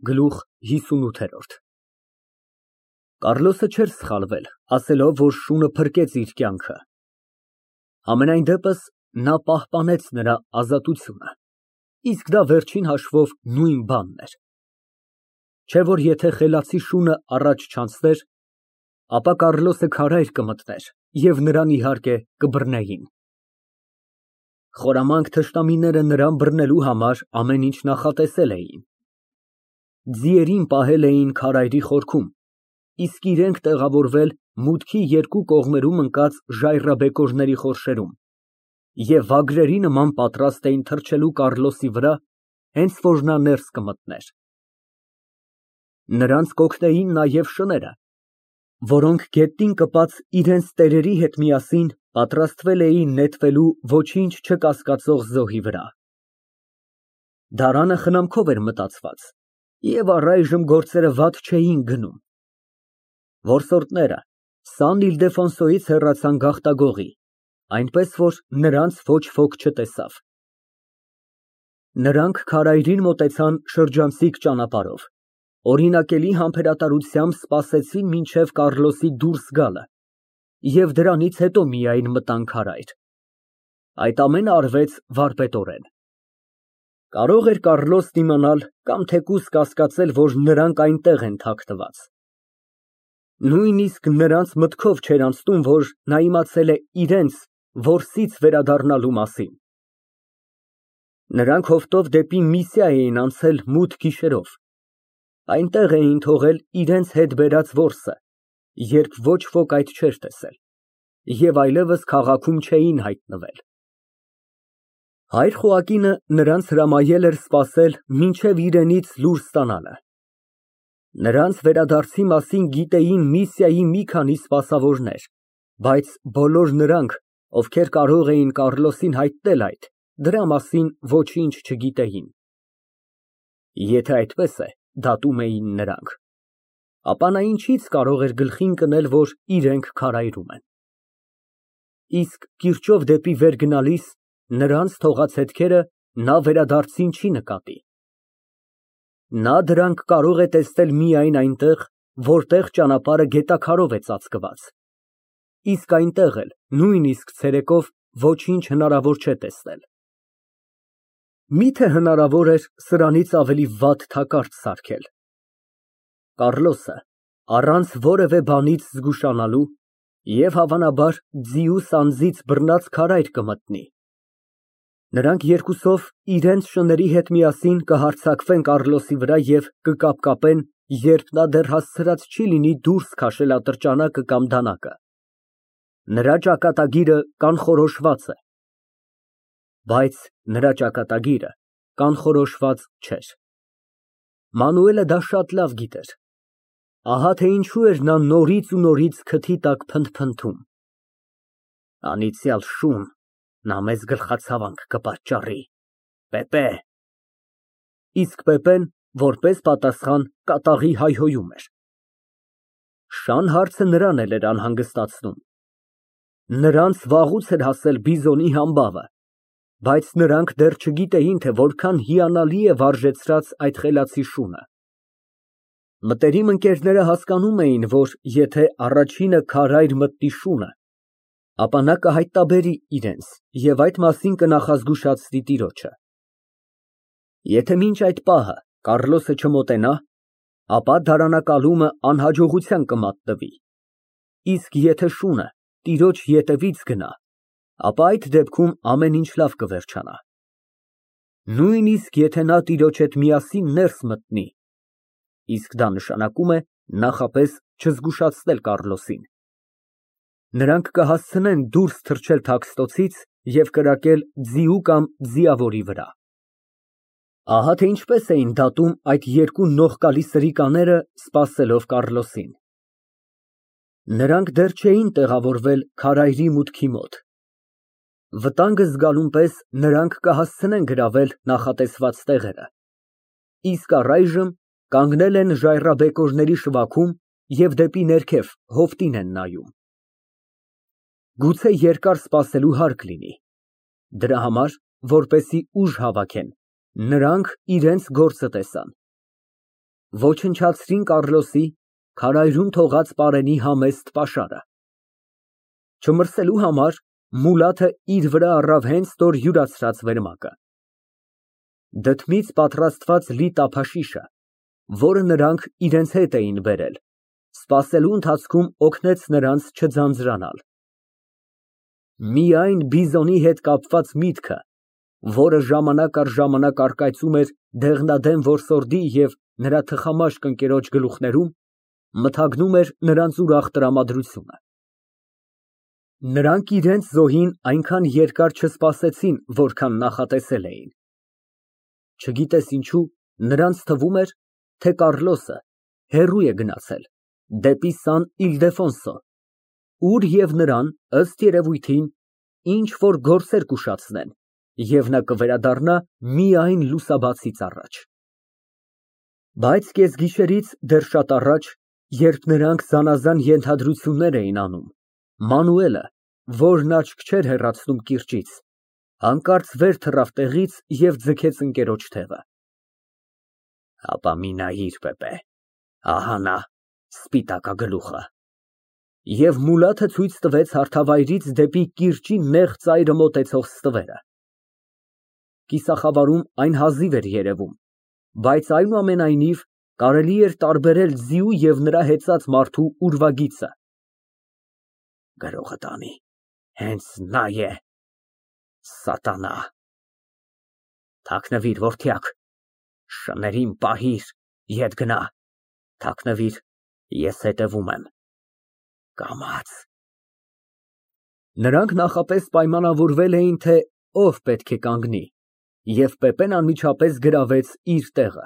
Գլուխ 58 Կառլոսը չէր սխալվել, ասելով, որ շունը փրկեց իր կյանքը։ Համենայն դեպս, նա պահպանեց նրա ազատությունը, իսկ դա վերջին հաշվով նույն բանն էր։ Չէ որ եթե խելացի շունը առաջ չանցներ, ապա Կառլոսը քարայր կմտներ և նրան, իհարկե, կբռնեին։ Խորամանկ թշնամիները նրան բռնելու համար ամեն ինչ նախատեսել էին։ Ձիերին պահել էին քարայրի խորքում, իսկ իրենք տեղավորվել մուտքի երկու կողմերում ընկած ժայռաբեկորների խորշերում և վագրերի նման պատրաստ էին թռչելու Կառլոսի վրա, հենց որ նա ներս կմտներ։ Նրանց կօգնեին նաև շները, որոնք գետնին կպած իրենց տերերի հետ միասին պատրաստվել էին նետվելու ոչինչ չկասկածող զոհի վրա։ Դարանը խնամքով էր մտածված, և առայժմ գործերը վատ չէին գնում։ Որսորդները Սան Իլդեֆոնսոյից հեռացան գաղտագողի, այնպես որ նրանց ոչ ոք չտեսավ։ Նրանք քարայրին մոտեցան շրջանցիկ ճանապարհով, օրինակելի համբերատարությամբ սպասեցին մինչև Կառլոսի դուրս գալը և դրանից հետո միայն մտան քարայր։ Այդ ամենը արվեց վարպետորեն։ Կարող էր Կառլոսն իմանալ կամ թեկուզ կասկածել, որ նրանք այնտեղ են թաքնված։ Նույնիսկ նրանց մտքով չէր անցնում, որ նա իմացել է իրենց որսից վերադառնալու մասին։ Նրանք հովտով դեպի Միսիա էին անցել մութ գիշերով, այնտեղ էին թողել իրենց հետ բերած որսը, երբ ոչ ոք այդ չէր տեսել, և այլևս քաղաքում չէին հայտնվել։ Հայր Խոակինը նրանց հրամայել էր սպասել մինչև իրենից լուր ստանալը։ Նրանց վերադարձի մասին գիտեին Միսիայի մի քանի սպասավորներ, բայց բոլոր նրանք, ովքեր կարող էին Կառլոսին հայտնել այդ, դրա մասին ոչինչ չգիտեին։ Եթե այդպես է, դատում էին նրանք, ապա նա ինչից կարող էր գլխին կնել, որ իրենք քարայրում են։ Իսկ կիրճով դեպի վեր գնալիս նրանց թողած հետքերը նա վերադարձին չի նկատի։ Նա դրանք կարող է տեսնել միայն այնտեղ, որտեղ ճանապարհը գետաքարով է ծածկված, իսկ այնտեղ էլ նույնիսկ ցերեկով ոչինչ հնարավոր չէ տեսնել։ Միթե հնարավոր էր սրանից ավելի վատ թակարդ սարքել։ Կառլոսը առանց որևէ բանից զգուշանալու և հավանաբար ձիուց անձից բռնած քարայր կմտնի։ Նրանք երկուսով իրենց շների հետ միասին կհարձակվեն Կառլոսի վրա և կկապկապեն, երբ նա դեռ հասցրած չի լինի դուրս քաշել ատրճանակը կամ դանակը։ Նրա ճակատագիրը կանխորոշված է, բայց նրա ճակատագիրը կանխորոշված չէր։ Մանուելը դա շատ լավ գիտեր։ Ահա թե ինչու էր նա նորից ու նորից քթի տակ փնթփնթում։ Անիծյալ շուն, նա մեզ գլխացավանք կպատճառի, Պեպե։ Իսկ Պեպեն, որպես պատասխան, կատաղի հայհոյում էր։ Շան հարցը նրան էլ էր անհանգստացնում։ Նրանց վաղուց էր հասել բիզոնի համբավը, բայց նրանք դեռ չգիտեին, թե որքան հիանալի է վարժեցրած այդ խելացի շունը։ Մտերիմ ընկերները հասկանում էին, որ եթե առաջինը քարայր մտնի շունը, ապա նա կհայտնաբերի իրենց և այդ մասին կնախազգուշացնի տիրոջը։ Եթե մինչ այդ պահը Կառլոսը չմոտենա, ապա դարանակալումը անհաջողության կմատնվի, իսկ եթե շունը տիրոջ ետևից գնա, ապա այդ դեպքում ամեն ինչ լավ կվերջանա։ Նույնիսկ եթե նա տիրոջ հետ միասին ներս մտնի, իսկ դա նշանակում է նախապես չզգուշացնել Կառլոսին։ Նրանք կհասցնեն դուրս թռչել թաքստոցից և կրակել ձիու կամ ձիավորի վրա։ Ահա թե ինչպես էին դատում այդ երկու նողկալի սրիկաները, սպասելով Կառլոսին։ Նրանք դեռ չէին տեղավորվել քարայրի մուտքի մոտ։ Վտանգը զգալուն պես նրանք կհասցնեն գրավել նախատեսված տեղերը, իսկ առայժմ կանգնել են ժայռաբեկորների շվաքում և դեպի ներքև հովտին են նայում։ Գուցե երկար սպասելու հարկ լինի։ Դրա համար, որպեսզի ուժ հավաքեն, նրանք իրենց գործը տեսան։ Ոչնչացրին Կառլոսի քարայրում թողած պարենի համեստ պաշարը։ Չմրսելու համար Մուլաթը իր վրա առավ հենց նոր յուրացրած վերմակը։ Դդմից պատրաստված լի տափաշիշը, որը նրանք իրենց հետ էին բերել, սպասելու ընթացքում օգնեց նրանց չձանձրանալ։ Միայն բիզոնի հետ կապված միտքը, որը ժամանակ առ ժամանակ առկայծում էր դեղնադեմ որսորդի և նրա թխամաշկ ընկերոջ գլուխներում, մթագնում էր նրանց ուրախ տրամադրությունը։ Նրանք իրենց զոհին այնքան երկար չսպասեցին, որքան նախատեսել էին։ Չգիտես ինչու, նրանց թվում էր, թե Կառլոսը հեռու է գնացել, դեպի Սան Իլդեֆոնսո, ուր և նրան, ըստ երևույթին, ինչ֊որ գործեր կուշացնեն, և նա կվերադառնա միայն լուսաբացից առաջ։ Բայց կեսգիշերից դեռ շատ առաջ, երբ նրանք զանազան ենթադրություններ էին անում, Մանուելը, որն աչք չէր հեռացնում կիրճից, հանկարծ վեր թռավ տեղից և ձգեց ընկերոջ թևը։ Հապա մի նայիր, Պեպե, ահա նա, սպիտակագլուխը։ Եվ Մուլաթը ցույց տվեց հարթավայրից դեպի կիրճի նեղ ծայրը մոտեցող ստվերը։ Կիսախավարում այն հազիվ էր երևում, բայց այնուամենայնիվ կարելի էր տարբերել ձիու և նրա հեծած մարդու ուրվագիծը։ Գրողը տանի, հենց նա է, սատանա։ Թաքնվիր, որդյակ, շներին պահիր, ետ գնա, թաքնվիր, ես հետևում եմ, կամաց։ Նրանք նախապես պայմանավորվել էին, թե ով պետք է կանգնի, և Պեպեն անմիջապես գրավեց իր տեղը։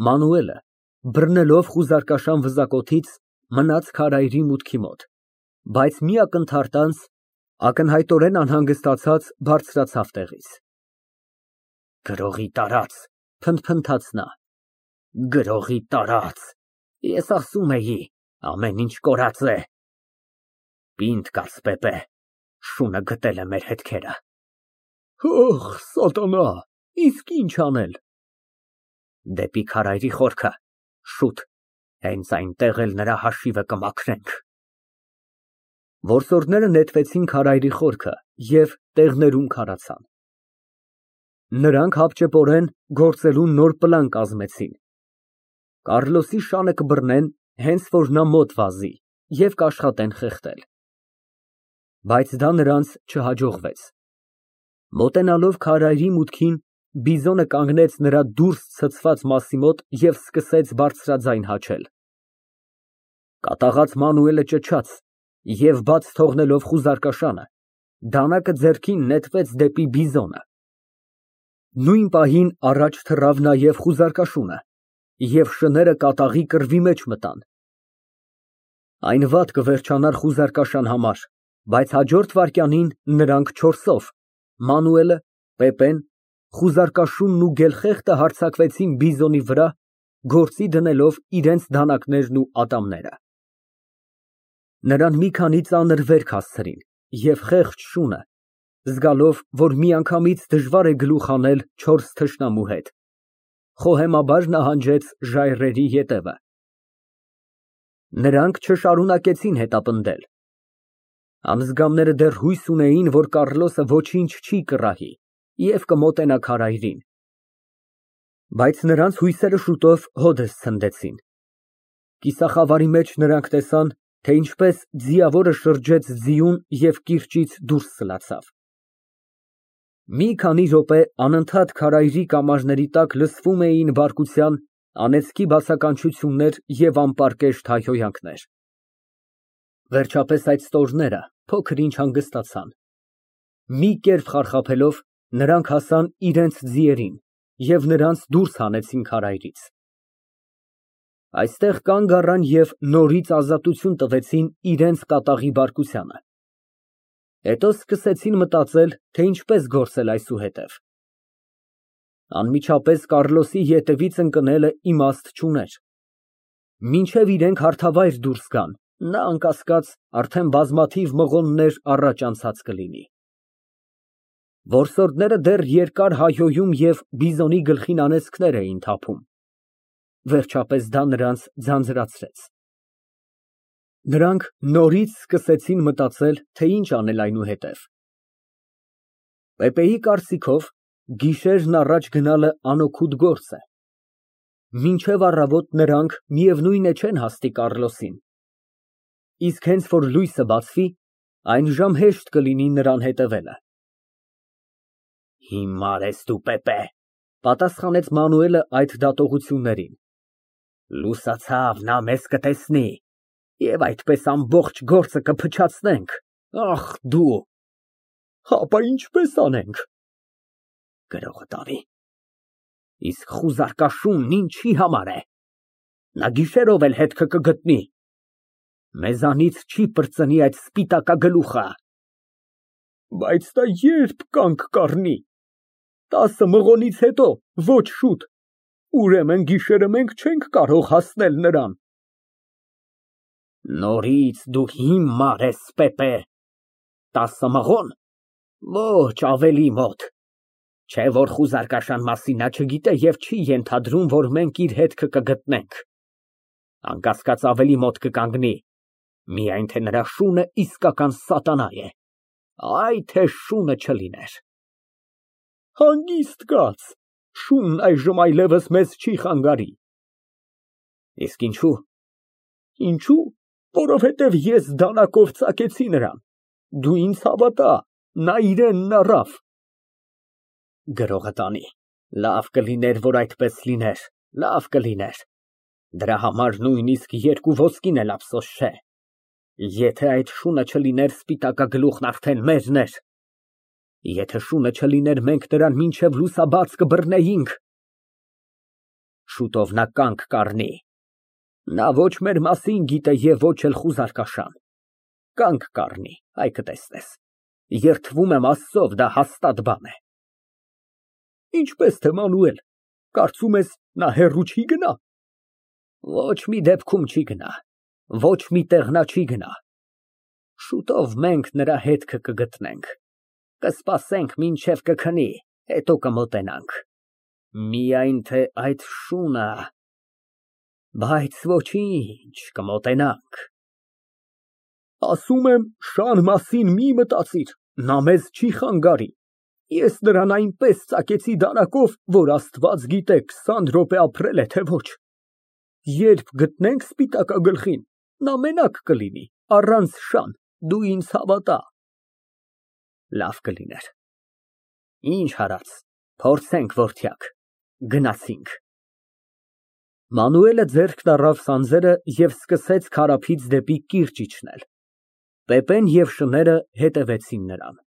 Մանուելը, բռնելով խուզարկաշան վզակոթից, մնաց քարայրի մուտքի մոտ, բայց մի ակնթարթ անց, ակնհայտորեն անհանգստացած, բարձրացավ տեղից։ Գրողի տարած, փնթփնթաց նա, գրողի տարած, ես ասում էի, ամեն ինչ կորած է։ Պինդ կաց, Պեպե, շունը գտել է մեր հետքերը։ Ահ, սատանա, իսկ ինչ անել։ Դեպի քարայրի խորքը, շուտ, հենց այնտեղ էլ նրա հաշիվը կմաքրենք։ Որսորդները նետվեցին քարայրի խորքը և տեղներում քարացան։ Նրանք հապճեպորեն գործելու նոր պլան կազմեցին։ Կառլոսի շանը կբռնեն, հենց որ նա մոտ վազի, և կաշխատեն խեղդել։ Բայց դա նրանց չհաջողվեց։ Մոտենալով քարայրի մուտքին, բիզոնը կանգնեց նրա դուրս ցցված մասի մոտ և սկսեց բարձրաձայն հաչել։ Կատաղած Մանուելը ճչաց և, բաց թողնելով խուզարկաշանը, դանակը ձեռքին նետվեց դեպի բիզոնը։ Նույն պահին առաջ թռավ նաև խուզարկաշունը, և շները կատաղի կռվի մեջ մտան։ Այն վատ կվերջանար խուզարկաշան համար, բայց հաջորդ վայրկյանին նրանք չորսով՝ Մանուելը, Պեպեն, խուզարկաշունն ու գելխեղտը հարձակվեցին բիզոնի վրա, գործի դնելով իրենց դանակներն ու ատամները։ Նրան մի քանի ծանր վերք հասցրին, և խեղճ շունը, զգալով, որ միանգամից դժվար է գլուխ հանել չորս թշնամու հետ, խոհեմաբար նահանջեց ժայռերի ետևը։ Նրանք չշարունակեցին հետապնդել։ Ամզգամները դեռ հույս ունեին, որ Կառլոսը ոչինչ չի կռահի և կմոտենա քարայրին։ Բայց նրանց հույսերը շուտով հօդս ցնդեցին։ Կիսախավարի մեջ նրանք տեսան, թե ինչպես ձիավորը շրջեց ձիուն և կիրճից դուրս սլացավ։ Մի քանի րոպե անընդհատ քարայրի կամարների տակ լսվում էին բարկության, անեծքի բացականչություններ և անպարկեշտ հայհոյանքներ։ Վերջապես այդ ստորները փոքր ինչ հանգստացան։ Մի կերպ խարխափելով, նրանք հասան իրենց ձիերին և նրանց դուրս հանեցին քարայրից։ Այստեղ կանգ առան և նորից ազատություն տվեցին իրենց կատաղի բարկությանը։ Հետո սկսեցին մտածել, թե ինչպես գործել այսուհետև։ Անմիջապես Կառլոսի ետևից ընկնելը իմաստ չուներ։ Մինչև իրենք հարթավայր դուրս գան, նա, անկասկած, արդեն բազմաթիվ մղոններ առաջ անցած կլինի։ Որսորդները դեռ երկար հայհոյում և բիզոնի գլխին անեծքներ էին թափում։ Վերջապես դա նրանց ձանձրացրեց։ Նրանք նորից սկսեցին մտածել, թե ինչ անել այնուհետև։ Պեպեի կարծիքով, գիշերն առաջ գնալը անօգուտ գործ է։ Մինչև առավոտ նրանք միևնույն է չեն հասնի Կառլոսին։ Իսկ հենց որ լույսը բացվի, այն հեշտ կլինի նրան հետևելը։ Հիմար ես դու, Պեպե, պատասխանեց Մանուելը այդ դատողություններին։ Լուսացավ, նա մեզ կտեսնի, և այդպես ամբողջ գործը կփչացնենք, ախ դու։ Հապա ինչպես անենք։ Գրողը տանի։ Իսկ խուզարկաշունն ինչի համար է։ Նա գիշերով էլ հետքը կգտնի։ Մեզանից չի պրծնի այդ սպիտակագլուխը։ Բայց դա երբ կանգ կառնի։ 10 մղոնից հետո, ոչ շուտ։ Ուրեմն գիշերը մենք չենք կարող հասնել նրան։ Նորից դու հիմար ես, Պեպե։ 10 մղոն։ Ոչ, ավելի մոտ։ Չէ որ խուզարկաշան մասին նա չգիտե և չի ենթադրում, որ մենք իր հետքը կգտնենք։ Անկասկած ավելի մոտ կկանգնի, միայն թե նրա շունը իսկական սատանա է։ Այ թե շունը չլիներ։ Հանգիստ կաց, շունն այժմ այլևս մեզ չի խանգարի։ Իսկ ինչու։ Ինչու, որովհետև ես դանակով ծակեցի նրան։ Դու ինձ հավատա, նա իրենն առավ։ Գրողը տանի։ Լավ կլիներ, որ այդպես լիներ, լավ կլիներ։ Դրա համար նույնիսկ 2 ոսկին էլ ափսոս չէ։ Եթե այդ շունը չլիներ, սպիտակագլուխն արդեն մերն էր։ Եթե շունը չլիներ, մենք նրան մինչև լուսաբաց կբռնեինք։ Շուտով նա կանգ կառնի։ Նա ոչ մեր մասին գիտե և ոչ էլ խուզարկաշան։ Կանգ կառնի, այ կտեսնես։ Երդվում եմ Աստծով, դա հաստատ բան է։ Ինչպես թե Մանուել, կարծում ես նա հեռու չի գնա։ Ոչ մի դեպքում չի գնա, ոչ մի տեղ նա չի գնա։ Շուտով մենք նրա հետքը կգտնենք։ Կսպասենք մինչև կքնի, հետո կմոտենանք։ Միայն թե այդ շունը, բայց ոչինչ, կմոտենանք։ Ասում եմ, շան մասին մի մտածիր, նա մեզ չի խանգարի։ Ես նրան այնպես ծակեցի դանակով, որ Աստված գիտե 20 րոպե ապրել է, թե ոչ։ Երբ գտնենք սպիտակագլխին, նա մենակ կլինի, առանց շան, դու ինձ հավատա։ Լավ կլիներ։ Ինչ արած, փորձենք, որդյակ, գնացինք։ Մանուելը ձեռքն առավ սանձերը և սկսեց քարափից դեպի կիրճ իջնել։ Պեպեն և շները հետևեցին նրան։